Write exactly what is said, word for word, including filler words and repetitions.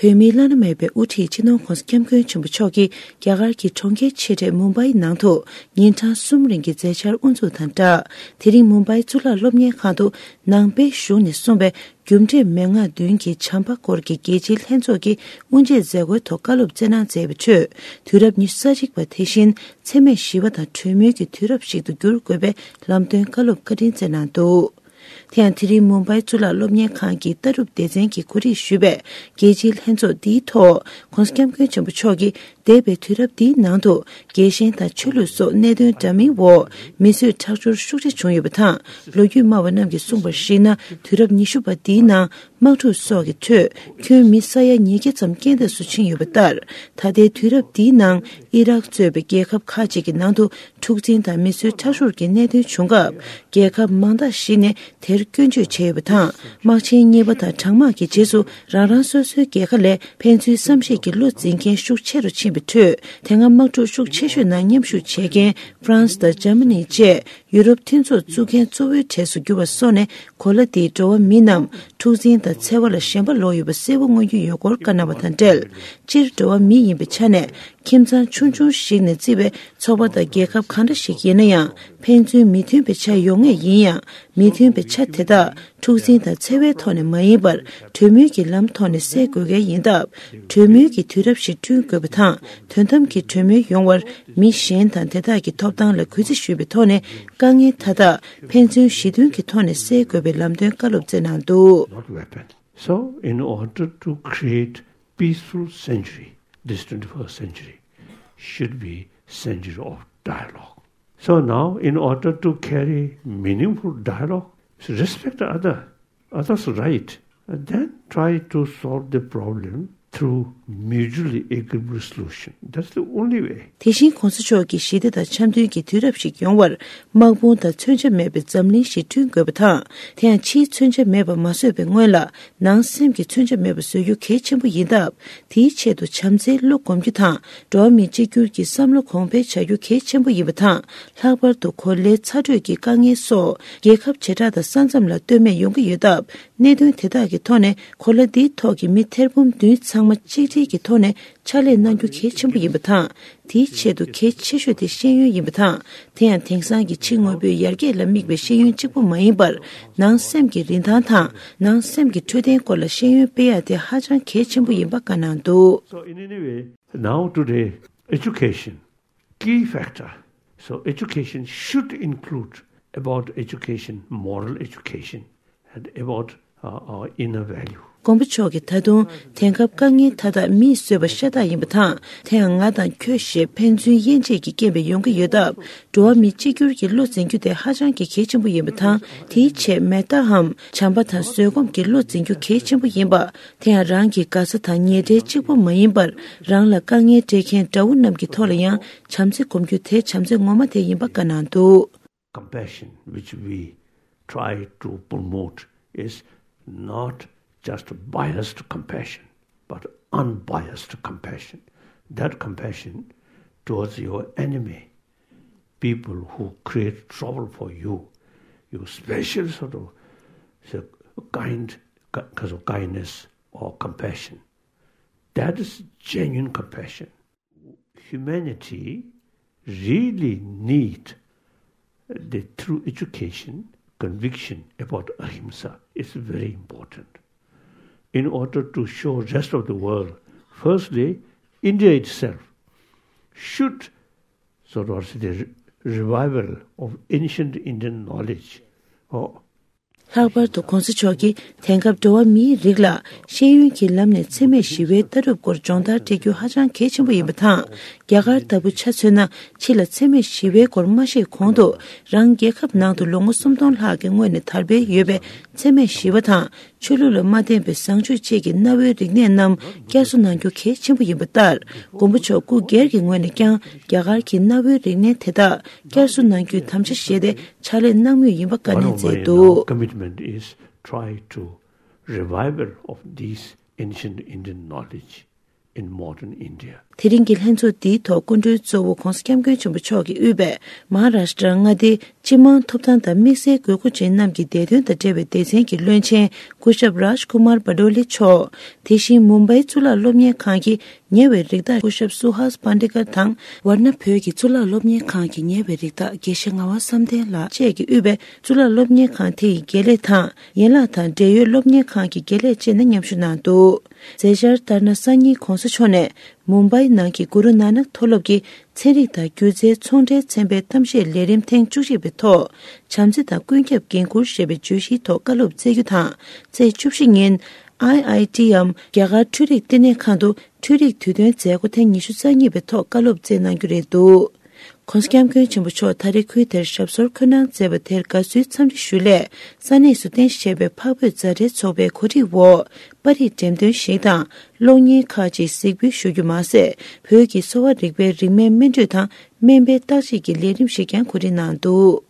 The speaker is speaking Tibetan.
བོད་མིའི་བླ་ན་མེད་པའི་དབུ་ཁྲིད་སྤྱི་ནོར་༧གོང་ས་༧སྐྱབས་མགོན་ཆེན་པོ་མཆོག་གིས་རྒྱ་གར་གྱི་གྲོང་ཁྱེར་ཆེ་གྲས་མུམ་བྷའི་ནང་དུ་ཉིན་གྲངས་གསུམ་རིང་གི་མཛད་འཆར་དབུ་འཛུགས་དང་སྦྲགས། དེ་རིང་མུམ་བྷའི་གཙུག་ལག་སློབ་གཉེར་ཁང་དུ་ནང་པའི་གཞུང་ནས་གསུངས་པའི་རྒྱུ་འབྲས་མན་ངག་བདུན་གྱི་བྱམས་པ་སྐོར་གྱི་རྒྱལ་སྤྱིའི་ལྷན་ཚོགས་ཀྱི་དབུ་འབྱེད་མཛད་སྒོའི་ཐོག་བཀའ་སློབ་སྩལ་གནང་མཛད་པའི་ཁྲོད། དུས་རབས་ཉི་ཤུ་རྩ་གཅིག་པ་དེ་བཞིན་འཚེ་མེད་ཞི་བ་དང་གྲོས་མོལ་གྱི་དུས་རབས་ཤིག་ཏུ་འགྱུར་དགོས་པའི་ལམ་སྟོན་བཀའ་སློབ་བཀའ་དྲིན་སྩལ་གནང་འདུག། དེ་ཡང་དེ་རིང་མུམ་བྷའི་གཙུག་ལག་སློབ་གཉེར་ཁང་གི་ལྟ་གྲུབ་སྡེ་ཚན་གྱིས་གོ་སྒྲིག་ཞུས་པའི་རྒྱལ་སྤྱིའི་ལྷན་ཚོགས་འདིའི་ཐོག་༧གོང་ས་༧སྐྱབས་མགོན་ཆེན་པོ་མཆོག་གིས་འདས་པའི་དུས་རབས་འདིའི་ནང་དུ་རྒྱལ་ཞེན་དང་ཆོས་ལུགས་སོགས་གནད་དོན་འདྲ་མིན་འོག་མི་གསོད་ཁྲག་སྦྱོར་ཤུགས་ཆེ་བྱུང་ཡོད་པ་དང་། ལོ་རྒྱུས་སྨྲ་བ་རྣམས་ཀྱིས་གསུངས་པར་གཞིགས་ན། དུས་རབས་ཉི་ཤུ་པ་འདིའི་ནང་དམག་འཁྲུག་སོགས་ཀྱི་ཁྲོད་ཁྱོན་མི་ས་ཡ་ཉིས་བརྒྱ་ཙམ་རྐྱེན་འདས་སུ་ཕྱིན་ཡོད་པ་ལྟར། ད་ལྟའི་དུས་རབས་འདིའི་ནང་ཨི་རག་གཙོས་པའི་རྒྱལ་ཁབ་ཁག་ཅིག་གི་ནང་དུ་འཁྲུག་འཛིང་དང་མི་གསོད་ཁྲག་སྦྱོར་གྱི་གནད་དོན་བྱུང་སྐབས། རྒྱལ་ཁབ་མང་དག་ཞིག་ནས་དེར་སྐྱོན་བརྗོད་བྱས་ཡོད་པ་དང་། དམག་ཆེན་གཉིས་པ་དང་གྲང་དམག་གི་རྗེས་སུ་རང་རང་སོ་སོའི་རྒྱལ་ཁ་ལས་ཕན་ཚུན་བསམ་ཤེས་ཀྱི་བློ་འཛིན་མཁན་ཤུགས་ཆེ་རུ་ཕྱིན་པའི་ཁྲོད། དེ་སྔ་དམག་འཁྲུག་ཤུགས་ཆེ་ཤོས་ནང་མཉམ་ཞུགས་བྱེད་མཁན་ཧྥ་རན་སི་དང་འཇར་མ་ནི་བཅས་ཡུ་རོབ་མཐུན་ཚོགས་བཙུགས་མཁན་གཙོ་བོའི་གྲས་སུ་གྱུར་བ་སོགས་ནས། གོ་ལ་འདིའི་འགྲོ་བ་མི་རྣམས་འཁྲུག་འཛིང་དང་འཚེ་བ་ལ་ཞེན་པ་ལོག་ཡོད་པ་གསལ་པོ་མངོན་རྒྱུ་ཡོད་སྐོར་བཀའ་གནང་བ་དང་འབྲེལ། སྤྱིར་འགྲོ་བ་མི་ཡིན་པའི་ཆ་ནས་ཁྱིམ་ཚང་ཆུང་ཆུང་ཞིག་ནས་བརྩིས་པའི་ཚོགས་པ་དང་རྒྱལ་ཁབ་གང་འདྲ་ཞིག་ཡིན་ན་ཡང་། ཕན་ཚུན་མི་མཐུན་པའི་ཆ་ཡོང་ངེས་ཡིན་ཡང་། མི་མཐུན་པའི་ཆ་དེ་དག་འཁྲུག་འཛིང་དང་འཚེ་བའི་ཐོག་ནས་མ་ཡིན་པར། གྲོས་མོལ་གྱི་ལམ་ཐོག་ནས་སེལ་དགོས་གལ་ཡིན་སྟབས། གྲོས་མོལ་གྱི་དུས་རབས་ཤིག་བསྐྲུན་དགོས་པ་དང་། དོན་དམ་གྱི་གྲོས་མོལ་ཡོང་བར་མི་གཞན་དང་དེ་དག་གི་ཐོབ་ཐང་ལ་གུས་བརྩི་ཞུས་པའི་ཐོག་ནས། དཀའ་ངལ་མཐའ་དག་ཕན་ཚུན་ཞི་མཐུན་གྱི་ཐོག་ནས་སེལ་དགོས་པའི་ལམ་སྟོན་བཀའ་སློབ་སྩལ་གནང་འདུག། Not weapon. So, in order to create peaceful century, this twenty-first century should be century of dialogue. So now, in order to carry meaningful dialogue, respect the other, others' right, and then try to solve the problem through mutually agreeable solution. That's the only way. དེ་བཞིན་གོང་ས་མཆོག་གིས་ཞི་བདེ་དང་འཆམ་མཐུན་གྱི་དུས་རབས་ཤིག་ཡོང་བར། དམག་དཔུང་དང་མཚོན་ཆ་མེད་པའི་འཛམ་གླིང་ཞིག་བསྐྲུན་དགོས་པ་དང་། དེ་ཡང་ཕྱིའི་མཚོན་ཆ་མེད་པ་མ་བཟོས་པའི་སྔོན་ལ། ནང་སེམས་ཀྱི་མཚོན་ཆ་མེད་པ་བཟོ་རྒྱུ་གལ་ཆེན་པོ་ཡིན་སྟབས། དེའི་ཆེད་དུ་བྱམས་བརྩེའི་བློ་སྒོམ་རྒྱུ་དང་། འགྲོ་བ་མི་གཅིག་གྱུར་གྱི་བསམ་བློ་གོང་འཕེལ་བྱ་རྒྱུ་གལ་ཆེན་པོ་ཡིན་པ་དང་། ལྷག་པར་དུ་གོ་ལའི་ཚ་དྲོད་ཀྱི་དཀའ་ངལ་སོགས་རྒྱལ་ཁབ་བྱེ་བྲག་དང་ས་མཚམས་ལ་ལྟོས་མེད་ཡོང་གི་ཡོད་སྟབས། གནད་དོན་དེ་དག་གི་ཐོག་ནས་གོ་ལ་འདིའི་ཐོག་གི་མི་ཐེར་འབུམ་བདུན་ཚང་མ་གཅིག་སྒྲིལ་གྱི་ཐོག་ནས་ཕྱག་ལས་གནང་རྒྱུ་གལ་ཆེན་པོ་ཡིན་པ་དང་། དེའི་ཆེད་དུ་གལ་ཆེ་ཤོས་དེ་ཤེས་ཡོན་ཡིན་པ་དང་། དེ་ཡང་དེང་སང་གི་ཕྱི་དངོས་པོའི་ཡར་རྒྱས་ལ་དམིགས་པའི་ཤེས་ཡོན་གཅིག་པུ་མ་ཡིན་པར། ནང་སེམས་ཀྱི་རིན་ཐང་དང་། ནང་སེམས་ཀྱི་འཕྲོད་བསྟེན་སྐོར་ལ་ཤེས་ཡོན་སྤེལ་ཡ་དེ་ཧ་ཅང་གལ་ཆེན་པོ་ཡིན་པ་བཀའ་གནང་འདུག། So in any way, now today, education, key factor. So education should include about education, moral education, and about uh, our inner value. མགོན་པོ་མཆོག་གིས་ད་དུང་དེང་སྐབས་དཀའ་ངལ་མཐའ་དག་མིས་བཟོས་པ་ཤ་སྟག་ཡིན་པ་དང་། དེ་ཡང་ང་དང་ཁྱོད་ཞེས་ཕན་ཚུན་དབྱེ་འབྱེད་ཀྱི་རྐྱེན་པས་ཡོང་གི་ཡོད་སྟབས། འགྲོ་བ་མི་གཅིག་གྱུར་གྱི་བློ་འཛིན་རྒྱུ་དེ་ཧ་ཅང་གི་གལ་ཆེན་པོ་ཡིན་པ་དང་། དེའི་ཆེད་མེད་ད་འམ་བྱམས་པ་དང་བཟོད་སྒོམ་གྱི་བློ་འཛིན་རྒྱུ་གལ་ཆེན་པོ་ཡིན་པ། དེ་ཡང་རང་གི་དགའ་ས་དང་ཉེ་འབྲེལ་གཅིག་པུ་མ་ཡིན་པར། རང་ལ་དཀའ་ངལ་སྤྲད་མཁན་དགྲ་བོ་རྣམས་ཀྱི་ཐོག་ལ་ཡང་བྱམས་བརྩེ་སྒོམ་རྒྱུ་དེ་བྱམས་བརྩེ་ངོ་མ་དེ་ཡིན་པ་བཀའ་གནང་འདུག། Compassion which we try to promote is not just biased compassion, but unbiased compassion. That compassion towards your enemy, people who create trouble for you, you special sort of, say, kind, ki- kind of kindness or compassion. That is genuine compassion. Humanity really need the true education, conviction about ahimsa is very important. In order to show rest of the world, firstly, India itself should sort of say the re- revival of ancient Indian knowledge or ལྷག་པར་དུ་གོང་ས་མཆོག་གིས་དེང་སྐབས་འགྲོ་བ་མིའི་རིགས་ལ་ཤེས་ཡོན་གྱི་ལམ་ནས་འཚེ་མེད་ཞི་བའི་ལྟ་གྲུབ་སྐོར་སྦྱོང་བརྡར་སྤྲད་རྒྱུ་ཧ་ཅང་གལ་ཆེན་པོ་ཡིན་པ་དང་། རྒྱ་གར་ལྟ་བུ་ཆ་མཚོན་ན། ཕྱི་ལ་འཚེ་མེད་ཞི་བའི་སྐོར་མ་བཤད་གོང་དུ། རང་རྒྱལ་ཁབ་ནང་དུ་ལོ་ངོ་སུམ་སྟོང་ལྷག་གི་སྔོན་ནས་དར་སྤེལ་ཡོད་པའི་འཚེ་མེད་ཞི་བ་དང་། ཆོས་ལུགས་ལ་མ་བརྟེན་པའི་བཟང་སྤྱོད་བཅས་ཀྱི་གནའ་བོའི་རིག་གནས་རྣམས་བསྐྱར་གསོ་གནང་རྒྱུ་གལ་ཆེན་པོ་ཡིན་པ་ལྟར། མགོན་པོ་མཆོག་སྐུ་སྒེར་གྱི་ངོས་ནས་ཀྱང་རྒྱ་གར་གྱི་གནའ་བོའི་རིག་གནས་དེ་དག་བསྐྱར་གསོ་གནང་རྒྱུའི་དམ་བཅའ་བཞེས་ཏེ། ཕྱག་ལས་གནང་མུས་ཡིན་པ་བཀའ་ནན་མཛད་འདུག། Commitment is try to revival of these ancient Indian knowledge. in modern India. དེ་རིང་གི་ལྷན་ཚོགས་འདིའི་ཐོག་སྐུ་མགྲོན་གཙོ་བོ་༧གོང་ས་༧སྐྱབས་མགོན་ཆེན་པོ་མཆོག་གིས་དབུས་པའི་མ་ཧཱ་རཱཤ་ཏྲ་མངའ་སྡེའི་སྤྱི་དམངས་ཐོབ་ཐང་དང་དམིགས་བསལ་དགོས་མཁོ་ཅན་རྣམས་ཀྱི་བདེ་དོན་དང་འབྲེལ་བའི་སྡེ་ཚན་གྱི་བློན་ཆེན་སྐུ་ཞབས་རཱཇ་ཀུ་མར་བྷ་ཏོ་ལེ་མཆོག་དེ་བཞིན་མུམ་བྷའི་གཙུག་ལག་སློབ་གཉེར་ཁང་གི་ཉེ་བའི་རིགས་བདག་སྐུ་ཞབས་སུ་ཧཱས་པཱན་ཌི་ཀར་དང་། ཝར་ན་བོད་ཀྱི་གཙུག་ལག་སློབ་གཉེར་ཁང་གི་ཉེ་བའི་རིགས་བདག་དགེ་བཤེས་ངག་དབང་བསམ་གཏན་ལགས་བཅས་ཀྱིས་དབུས་པའི་གཙུག་ལག་སློབ་གཉེར་ཁང་དེ་ཡི་དགེ་ལས་དང་། ཡན་ལག་དང་འབྲེལ་ཡོད་སློབ་གཉེར་ཁང་གི་དགེ་ལས་བཅས་ནས་མཉམ་ཞུགས་གནང་འདུག་མཛད་འཆར་ལྟར་ན། སང་ཉིན་༧གོང་ས་མཆོག་ནས་མུམ་བྷའི་ནང་གི་གུ་རུ་ནཱ་ནག་མཐོ་སློབ་ཀྱི་ཚན་རིག་དང་སྒྱུ་རྩལ་ཚོང་འབྲེལ་ཚན་པའི་གཏམ་བཤད་ལས་རིམ་ཐེངས་བཅུ་གཅིག་པའི་ཐོག་བྱམས་བརྩེ་དང་ཀུན་ཁྱབ་འགན་འཁུར་ཞེས་པའི་བརྗོད་གཞིའི་ཐོག་བཀའ་སློབ་སྩལ་རྒྱུ་དང་། ཚེས་བཅུ་བཞི་ཉིན་ཨའི་ཨའི་ཊི་འམ་རྒྱ་གར་འཕྲུལ་རིག་བསྟི་གནས་ཁང་དུ་འཕྲུལ་རིག་དུས་སྟོན་མཛད་སྒོ་ཐེངས་ཉི་ཤུ་རྩ་གཉིས་པའི་ཐོག་བཀའ་སློབ་སྩལ་གནང་རྒྱུ་རེད་འདུག ༸གོང་ས་༸སྐྱབས་མགོན་ཆེན་པོ་མཆོག་ད་རེས་ཁུལ་དེར་ཞབས་སོར་འཁོད་གནང་མཛད་པ་དེར་དགའ་བསུའི་འཚམས་འདྲི་ཞུ་སླད། ས་གནས་སུ་རྟེན་གཞི་བྱས་པའི་འཕགས་བོད་མཛའ་འབྲེལ་ཚོགས་པའི་གོ་སྒྲིག་འོག་པར་རིས་འགྲེམས་སྟོན་ཞིག་དང་། གློག་བརྙན་ཁག་ཅིག་གཟིགས་འབུལ་ཞུ་རྒྱུ་མ་ཟད། བོད་ཀྱི་གསོ་བ་རིག་པའི་རིན་མེད་སྨིན་གྲོས་དང་སྨན་པའི་བརྟག་དཔྱད་ཀྱི་ལས་རིམ་ཞིག་ཀྱང་གོ་སྒྲིག་གནང་འདུག